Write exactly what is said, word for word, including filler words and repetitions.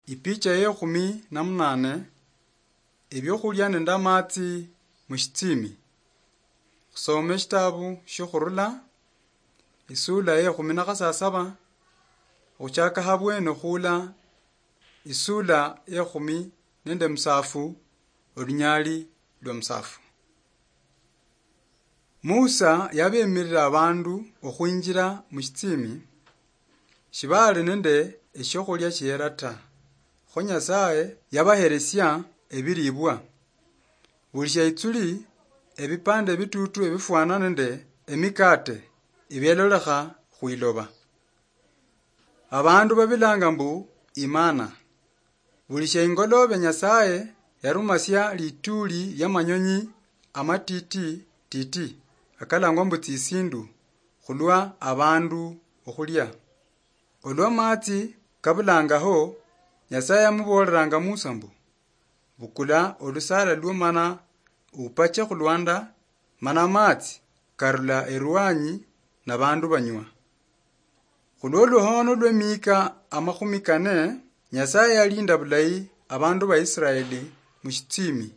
Ipicha yekhumi na munane, ebiokhulia nende amatsi mushitsimi. Khusome eshitabu shiokhurula, isula yekhumi na khasasaba, okhuchaka habwene okhula isula yekhumi nende musafu, olunyali lwa musafu. Musa yabemirira abandu okhwinjira mushitsimi, shibali nende eshiokhulia shiera ta. Kho Nyasaye yabaheresia ebiribwa. Buli shiaitsuli ebipande bitutu ebifwana nende emikate ebielolekha khwiloba. Abandu babilanga mbu imana. Buli shia ingolobe Nyasaye yarumasia lituli lia manyonyi amatiti titi, akalangwa mbu tsisindu, khulwa abandu okhulia. Olwa matsi kabulangaho, Nyasaye yamuboleranga Musa mbu, "Bukula olusala lwo mana upache khulwanda, mana matsi karula erwanyi na bandu banywa." Khulwo luhono lwe miika amakhumi kane, Nyasaye yalinda bulayi abandu ba Israeli mushitsimi.